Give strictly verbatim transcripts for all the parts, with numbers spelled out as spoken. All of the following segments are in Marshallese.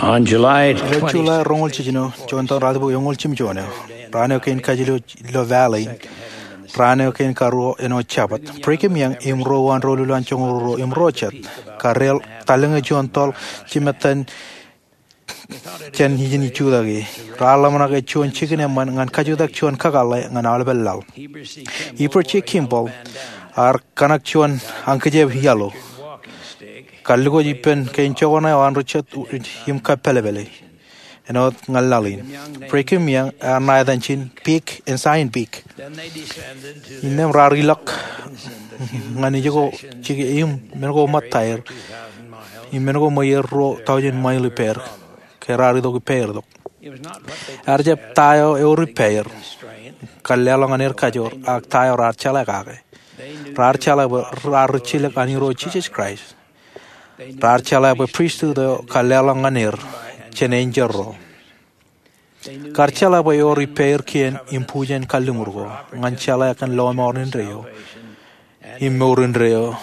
On July ilo July roñoul jiljino, juon taon raatibuk eñoul jimjuon eo, raan eo kein kajilo ilo valley in, raan eo kein karuo āinwōt Jabōt, Brigham Young im ruo uwaan doulul an joñoul ruo im ruo jet kar deḷọñ tallōñe juon toḷ jimettan jān ijin ijutaki. Raar ḷōmṇak ej juon jikin eṃṃan ñan kajutak juon kakōḷḷe ñan aolepen laḷ. Heber J. Kimball ear kōṇak juon ankijep iaḷu, kallikōj ippān kein jokwane eo an ri jet im kappālpāle āinwōt ñan laḷ in. Brigham Young ear ṇa etan ijin Peak, Ensign Peak. Innām raar ilọk ñan ijoko jike im men ko ṃōttaer im men ko ṃweier ruo taujin mail ippāer ke raar itok ippāer tok. Ear jab ta eo ewōr ippāer, kar leḷọk ñan er kajoor, ak ta eo raar jeḷā kake. Raar jeḷā bwe raar ri jilōk an Irooj Jisōs Kraist. Raar jeḷā bwe pristut eo kar leḷọk ñan er jān enjeḷ ro. Kar jeḷā bwe ewōr ippāer kien im bujen kalliṃur ko ñan jeḷā kōn lọmọọr indeeo im mour indeeo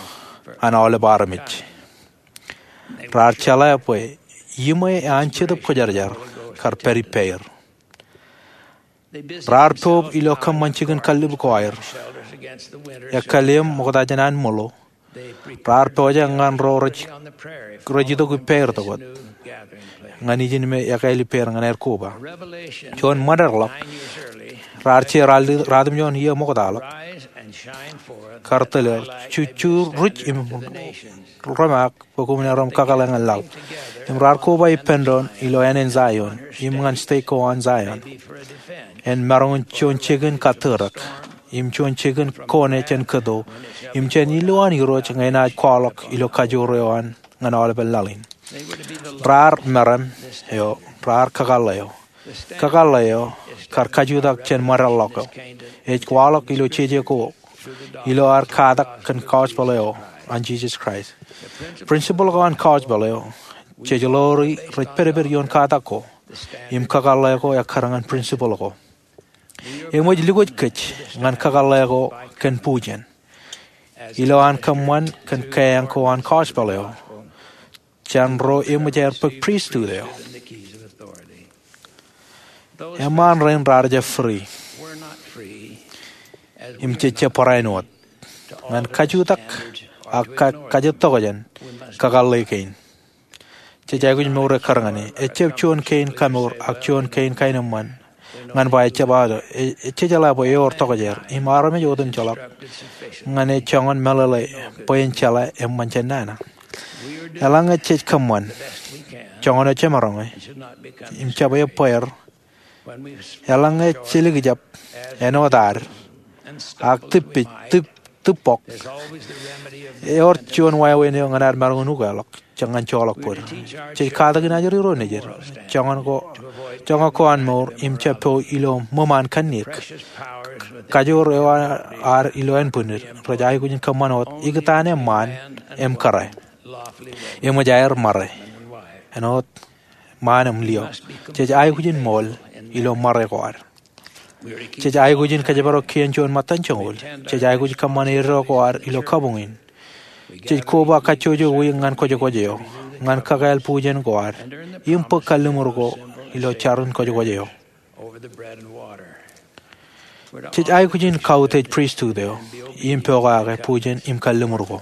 an aolep armej. Raar jeḷā bwe iṃwe an Jetōb Kwōjarjar kar pād ippāer. Raar poub ilo kōṃṃan jikin kallib ko aer, ekkā lem ṃokta jān an ṃōḷo. Raar pojak ñan ro rej itok ippāer tokot ñan ijin me ekāāl ippāer ñan aer koba. Juon ṃōdeḷọk, raar je ratimjuon iiō ṃoktaḷọk, kar tōl er, jujuruj im rōmaak bwe koṃwin aer im kakōḷḷe ñan laḷ. Im raar koba ippān doon ilo ānen Zion im ñan stek ko an Zion, en maroñ in juon jikin kattōrōk im juon jikin kone jān kōto im jān ilowaan Irooj ñe enaaj kwaḷọk ilo kajoor eo an ñan aolepen laḷ in. Raar meram eo, raar kakōḷḷe eo. Kakōḷḷe eo kar kajutak jān ṃōdeḷọk eo ej kwaḷọk ilo jeje ko ilo ad katak kōn gospel eo an Jisōs Kraist. Principle ko an gospel eo jej ḷoori rej pedped ioon katak ko, im kakōḷḷe ko ekkar ñan principle ko. Eṃōj lukkuun kōj ñan kakōḷḷe ko kōn bujen ilo an kōṃṃan kōn keeañ ko an gospel eo jān ro eṃōj aer bōk pristut eo. Eṃṃaan rein raar jab free im jej jab barāinwōt ñan kajutak ak kajjitōk jān kakōḷḷe kein. Jej aikuj mour ekkar ñan e. Ejjab juon kein kamour ak juon kein kaenōṃṃan ñan ba ejjab aō. Ej jeḷā bwe ewōr tokjāer im armej otemjeḷọk ñan e joñan meḷeḷe bwe en jeḷā eṃṃan jān nana. Eḷaññe jej kōṃṃan joñan eo jemaroñ e im jab ebbeer, eḷaññe jelikjab āinwōt ad ak tūbpej, tūb, tūbbọk, ewōr juon wāween eo ñan ad maroñ in ukeḷọk ñan joḷọk bōd. Jej katakin ajri ro nejid, joñan ko, joñan ko an mour im jab po ilo ṃōṃ an kanniōk. Kajoor eo ad ilo ānbwinnid rej aikuj in kōṃṃan wōt ikōtaan eṃṃaan im kōrā. Eṃōj aer ṃare āinwōt ṃaan im lio. Jej aikuj in ṃool ilo ṃare ko ad. Jej aikuj in kōjparok kien juon ṃōttan joñoul. Jej aikuj kōṃṃan eddo ko ad ilo kabuñ in. Jej koba kajjojo wiik ñan kwōjkwōj eo ñan kakāāl bujen ko ad im bōk kalliṃur ko ilo jarin kwōjkwōj eo. Jej aikuj in kautiej pristut eo im pokake bujen im kalliṃur ko.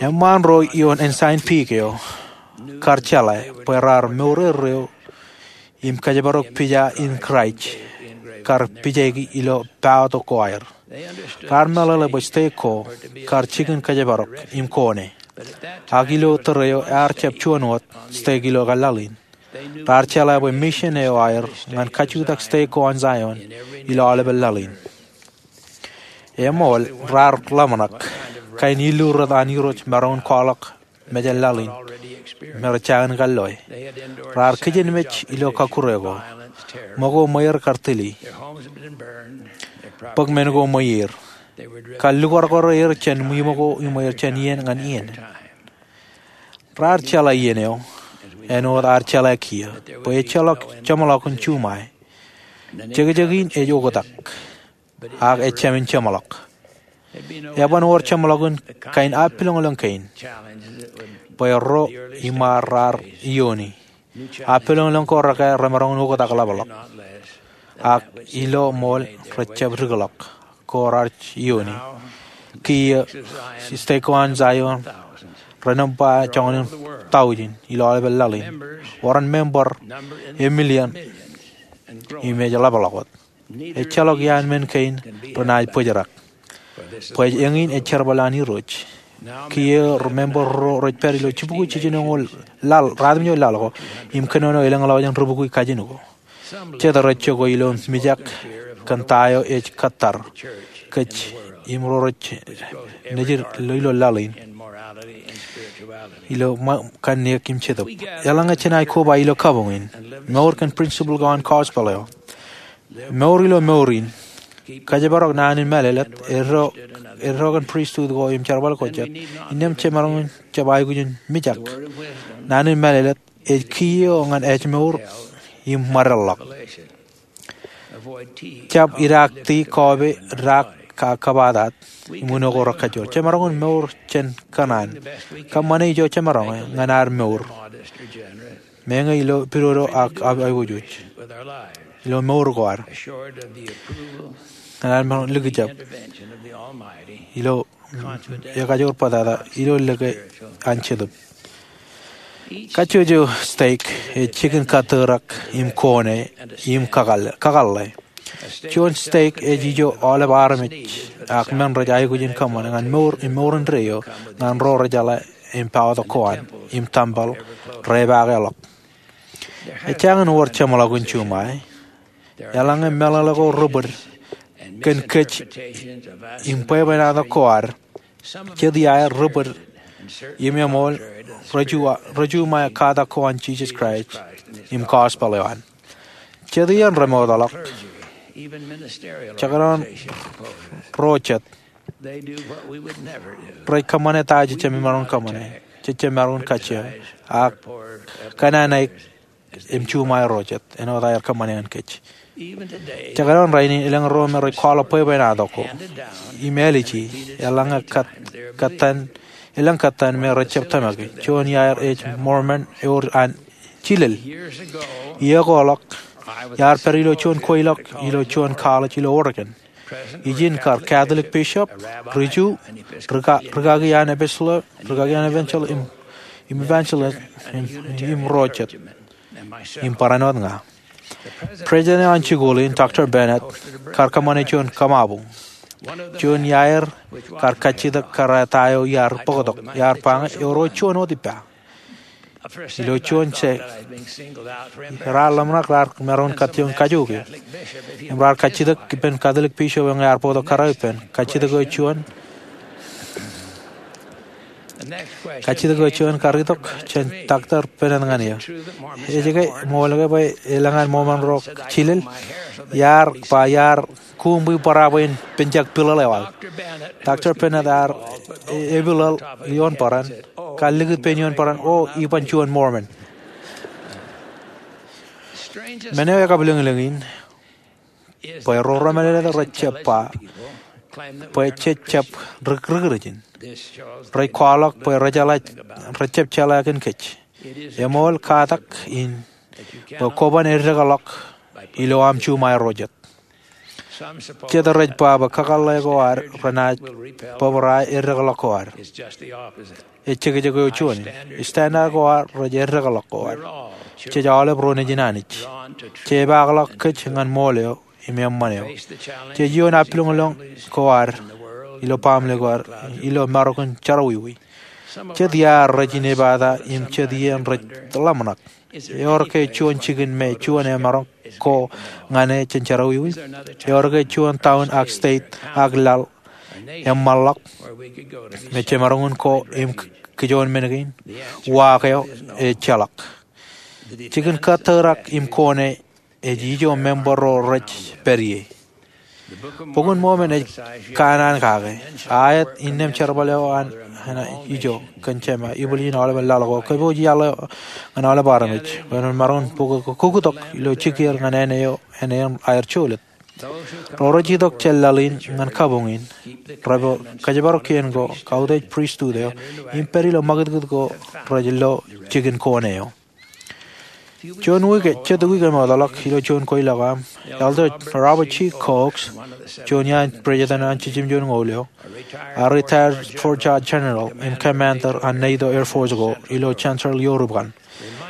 Eṃṃaan ro ioon Ensign Peak eo kar jeḷā bwe raar mour erreo im kōjparok pija in Kraist kar pijaiki ilo paotok ko aer. Raar meḷeḷe bwe stek ko kar jikin kōjparok im kone. Ak ilo tōre eo ear jab juon wōt stek ilo laḷ in. Raar jeḷā bwe mission eo aer ñan kajutak stek ko an Zion ilo aolepen laḷ in. Eṃool, raar ḷōmṇak kain illu rot an Irooj maroñ in kwaḷọk mejān laḷ in me rej jañin kalloe. Raar kijenmej ilo kọkkure ko, ṃōko ṃweier kar tili, bōk men ko ṃweier, kar lukwarkware er jān iṃōko iṃweier jān iien ñan iien. Raar jeḷā iien eo āinwōt ad jeḷā kiiō bwe ejjeḷọk jeṃḷọkin juṃae. Jekjek in ej oktak, ak ejāmin jeṃḷọk. Eban wōr jeṃḷọkin kain appiloñlōñ kein bwe ro iṃaar raar iiooni. Appiloñlōñ ko rekā remaroñ in oktak ḷapḷọk, ak ilo ṃool rejjab dikḷọk ko raar iiooni. Kiiō, stek ko an Zion renōṃba joñan in taujin ilo aolepān laḷ in, wōr an member e million im ej ḷapḷọk wōt. Ejjeḷọk iaan men kein renaaj bōjrak, bwe eñin ej jerbal an Irooj. Kiiō, member ruo rej pād ilo jibukwi jiljinoñoul laḷ, ratimjuon laḷ ko, im kōnono elōñḷọk jān ribukwi kajin ko. Jet rej jokwe ilo mijak kōn ta eo ej kōttar kōj im ro rej nejid ilo laḷ in, ilo kanniōk im jetōb. Eḷaññe jenaaj koba ilo kabuñ in, mour kōn principle ko an gospel eo. Mour ilo mour in. Kōjparok naan in mālōtlōt. Eddo kōn pristut ko im jerbal ko jet. Innām jemaroñ in jab aikuj in mijak. Naan in mālōtlōt ej kiiō ñan ājmour im ṃaddeḷḷọk. Jab idaakti, kọọpe, daak, ak kōbatat im uno ko rekajjoor. Jemaroñ in mour jān kōṇaan. Kōṃṃane ijo jemaroñe ñan ad mour, meñe ilo pidodo ak aiboojoj ilo mour ko ad, ñan ad maroñ likjab ilo ekajoor bōtata ilo lōke an Jetōb. Kajjojo stek ej jikin kōtōrak im kone im kakōḷḷe. Juon stek ej ijo aolep armej ak men rej aikuj in kōṃṃane ñan mour im mour indeeo ñan ro rejeḷā im paotok ko an im tempel repaake ḷọk. Ejjañin wōr jeṃḷọkin juṃae. Eḷaññe meḷeḷe ko ri-bōd kōn kōj im bwebwenato ko ad, jet iaer ri-bōd im eṃool rejuṃae katak ko an Jisōs Kraist im gospel eo an. Jet iien remootḷọk, jekdọọn ro jet, rej kōṃṃane ta jejjab maroñ in kōṃṃane, jejjab maroñ in kajjioñ, ak kōnnaan aer im juṃae ro jet āinwōt aer kōṃṃane ñan kōj. Jekdọọn rainin elōñ ro me rej kwaḷọk bwebwenato ko im āliji, eḷaññe elōñ kōttan me rejjab tōmaki. Juon iaer ej Mormon, ewōr an jilel. Iiō ko ḷọk, iar pād ilo juon kweilọk ilo juon college ilo Oregon. Ijin kar Catholic bishop, ri-Ju, rikaki an episcopal, rikaki an evangelist, im evangelist, im ro jet, im barāinwōt ña. President eo an jikuuḷ in, Doctor Bennett, kar kōṃṃane juon kōṃabuñ. Juon iaer kar kajjitōk kōrā ta eo iar bōktok, iar ba ñe ewōr juon wōt ippa. Ilo juon je, raar ḷōmṇak raar maroñ in kajjioñ kajjojo, im raar kajjitōk ippān Catholic bishop eo ñe ear bōktok kōrā ippān. Kajjitōk eo juon, kajjitōk eo juon kar itok jān Doctor Bennett ñan eō. Ej ke ṃool ke bwe elōñ an Mormon ro jilel? Iar ba iar kuuṃ bwe bōrā bwe in penjak piḷōḷ eo aō. Doctor Bennett ear epiḷōḷ ioon bōran, kar likūt pein ioon bōran, O, iban juon Mormon. Men eo ekabwilōñlōñ in bwe ro remālōtlōt rejjab ba bwe jej jab ri-Kūrijin. Rej kwaḷọk bwe rejjab jeḷā kōn kōj. Eṃool katak in bwe kwōban eddekḷọk ilo aṃ juṃae ro jet. Jet rej ba bwe kakōḷḷe ko ad renaaj bōbrae eddekḷọk ko ad. Ej jekjek eo juon in. Standard ko ad rej eddekḷọk ko ad. Jej aolep ro nejin Anij. Jepaakḷọk kōj ñan ṃool eo im eṃṃan eo. Jej iioon appiloñlōñ ko ad ilo baaṃle ko ad ilo maroñ in jerọwiwi. Jet iaer rej inepata im jet iien rej ḷōmṇak. Ewōr ke juon jikin me juon emaroñ ko ñan e jān jerọwiwi? Ewōr ke juon town ak state ak laḷ eṃṃanḷọk me jemaroñ in ko im kijoon men kein? Uwaak eo ejjeḷọk. Jikin kōtōrak im kone ej ijo member ro rej pād ie. Bok in Mormon ej kanaan kake, aet innām jerbal eo an ijo kōn jema, ibwiljin aolepen laḷ ko, kōpooj iaḷ eo ñan aolep armej bwe en maroñ in bōk kuktok ilo jikier ñan āne eo āne in aer jolōt. Ro rej itok jān laḷ in ñan kabuñ in repo kōjparok kien ko, kautiej pristut eo, im pād ilo ṃakūtkūt ko rej lo jikin kone eo. Juon wiik, jet wiik eṃootḷọk, ilo juon kweilọk aṃ, Elder Robert G. Cox, juon iaan president an Jisōm Juon Ñoul eo, a retired Fort George General im Commander an NATO Air Force ko ilo Chancellorsville, Oregon,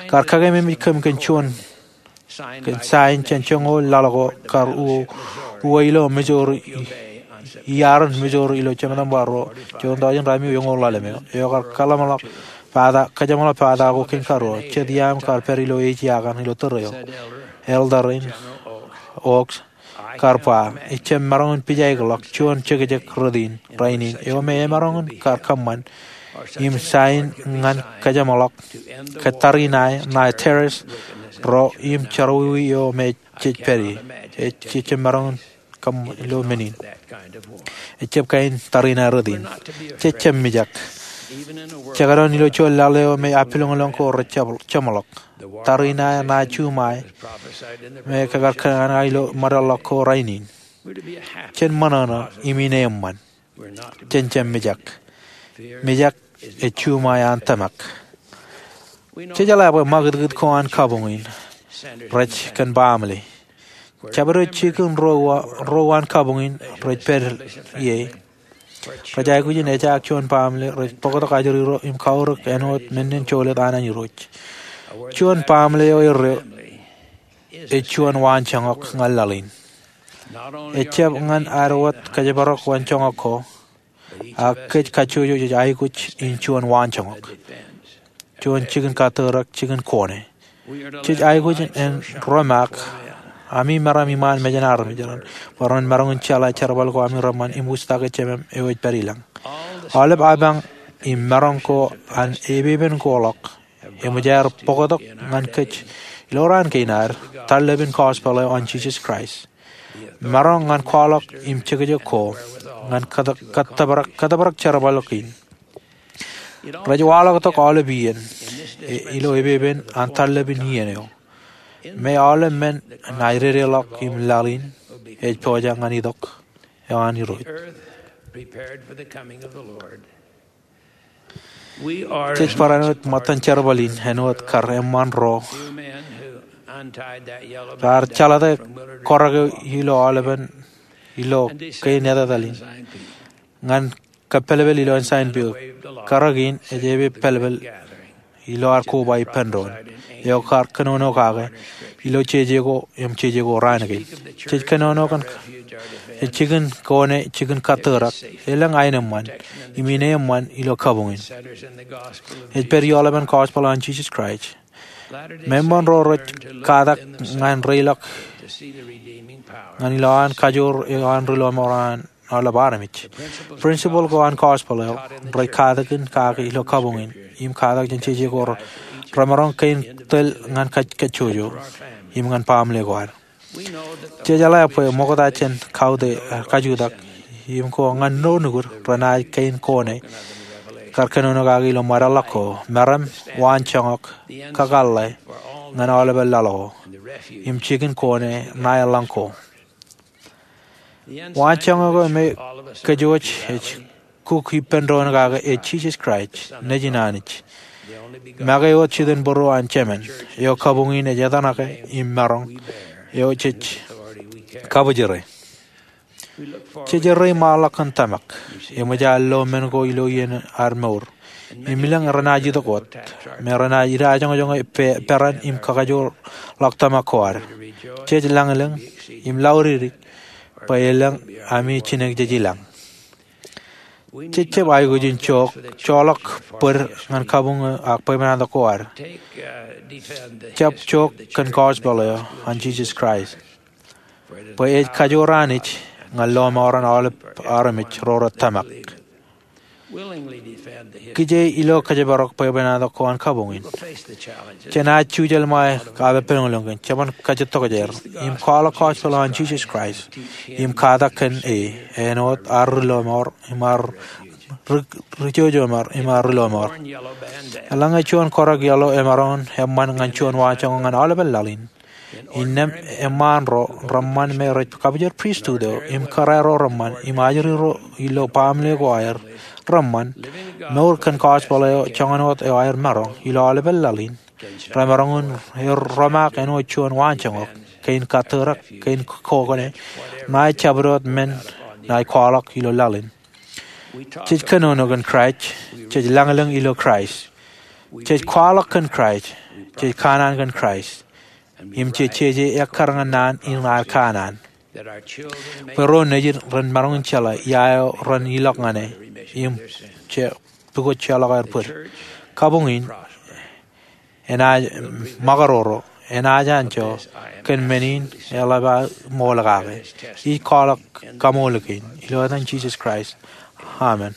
kar kakememej kōm kōn juon kōn sain jān joñoul laḷ ko kar uwe ilo Missouri, iaarin Missouri ilo jemān bar ruo joñoul tọujin ratimjuon eoon ḷalem eo, eo kar kōjeṃḷọk pata ko kein karuo. Jet iaam kar pād ilo ej iakan ilo tōre eo, Elder in Cox kar ba, ij jab maroñ in pijaikḷọk juon jekjek rot in rainin eo me emaroñ in kar kōṃṃan im sain ñan kōjeṃḷọk ke tariṇae ṇae terrorist ro im jerọwiwi eo me jej pād ie. Ij jab maroñ in kōṃṃan ilo men in. Ejab kain tariṇae rot in. Jej jab mijak. Jekdọọn ilo juon laḷ eo me apilōñlōñ ko rej jeṃḷọk, tariṇae ṇae juṃae me kar kōṇaan ilo ṃōdeḷọk ko rainin, jen ṃōṇōṇō im ineeṃṃan. Jen jab mijak. Mijak ej juṃae an tōmak. Jej jeḷā bwe ṃakūtkūt ko an kabuñ in rej kōn baaṃle. Jabdewōt jikin ro uwaan kabuñ in rej pād ie rej aikuj in ejaak juon baaṃle rej bōktok ajri ro im kaurōk āinwōt men in jolōt an an Irooj. Juon baaṃle eo erreo ej juon waanjoñak ñan laḷ in. Ejab ñan ad wōt kōjparok waanjoñak ko, ak kōj kajjojo jej aikuj in juon waanjoñak, juon jikin kattōrak, jikin kone. Jej aikuj in ro maak, ami meram iṃaan mejān armej raṇ, bwe ren maroñ in jeḷā jerbal ko ami reṃṃan im wūjtake Jemem eo ej pād ilañ. Aolep apañ im maroñ ko an epepen ko ḷọk eṃōj aer bōktok ñan kōj ilo raan kein ad, tarlepen gospel eo an Jisōs Kraist, maroñ ñan kwaḷọk im jekjek ko ñan kōtōprak jerbal eo kein. Rej waḷọktok aolep iien ilo epepen an tarlepen iien eo, me aolep men ṇae dedeḷọk im laḷ in ej pojak ñan itok eo an Irooj. Jej barāinwōt ṃōttan jerbal in āinwōt kar eṃṃan ro raar jeḷate kōrā eo ilo aolepān ilo kein etetal in ñan kōppelpel ilo ensign peok. Kōrā kein ej epe pālpel ilo ad koba ippān doon eo kar kōnono kake ilo jeje ko im jeje ko raan kein. Jej kōnono kōn jikin kone, jikin kattōrak, elōñ aenōṃṃan im ineeṃṃan ilo kabuñ in. Ej pād ioḷapān gospel an Jisōs Kraist. Meṃṃan ro rej katak ñan reiḷọk ñan ilowaan kajoor eo an ri lọmọọr an aolep armej. Principle ko an gospel eo rej katakin kake ilo kabuñ in im katak jān jeje ko remaroñ kein tōl ñan kajjojo im ñan baaṃle ko ad. Jej jeḷā bwe ṃokta jān kautiej, kajutak im ko ñan ro nukud renaaj kein kone kar kōnono kake ilo ṃōdeḷọk ko, meram, waanjoñak, kakōḷḷe ñan aolepān laḷ ko, im jikin kone ṇae ḷọk ko. Waanjoñak eo me kōjwōj ej kuk ippān doon kake ej Jisōs Kraist, Nejin Anij, make wōt jitōnbōro an Jemān, eo kabuñ in ej etanake im maroñ, eo jej kabwijere. Jej erreo ṃaanḷọk kōn tōmak, eṃōj ad lo men ko ilo iien ad mour im elōñ renaaj itok wōt me renaaj idajoñjoñe peran im kakajoorḷọk tōmak ko ad. Jej lañlōñ im laudikdik bwe elōñ ami jinōk jej ilañ. Jej jab aikuj in joḷọk bōd ñan kabuñ eo ak bwebwenato ko ad. Jab jook kōn gospel eo an Jisōs Kraist, bwe ej kajoor Anij ñan lọmọọren aolep armej ro rej tōmak. Kije ilo kōjparok bwebwenato ko an kabuñ in, jenaaj jujel ṃae aō pād ilo eoon, jeban kajjitokjer im kwaḷọk gospel eo an Jisōs Kraist im katak kōn e āinwōt ad ri lọmọọr im ad ri jojo im ad ri lọmọọr. Eḷaññe juon kōrā yellow emaroñ in eṃṃan ñan juon waanjoñak ñan aolepān laḷ in, Innām eṃṃaan ro reṃṃan me rej kabujar pristut eo im kōrā ro reṃṃan im ajri ro ilo baaṃle ko aer reṃṃan, mour kōn gospel eo joñan wōt eo aer maroñ ilo aolepān laḷ in, remaroñ in romaak āinwōt juon waanjoñak, kein kattōrak, kein kokōne, ṇae jabdewōt men ṇae kwaḷọk ilo laḷ in. Jej kōnono kōn Kraist, jej lañlōñ ilo Kraist, jej kwaḷọk kōn Kraist, jej kanaan kōn Kraist, im jej jeje ekkar ñan naan in ad kanaan, bwe ro nejid ren maroñ in jeḷā ia eo ren ilọk ñane im pukot jeorḷọk aer bōd. Kabuñ in enaaj ṃakaroro, enaaj anjọ kōn men in eḷap aō ṃool kake. Ij kwaḷọk kaṃool kein ilo etan Jisōs Kraist, amen.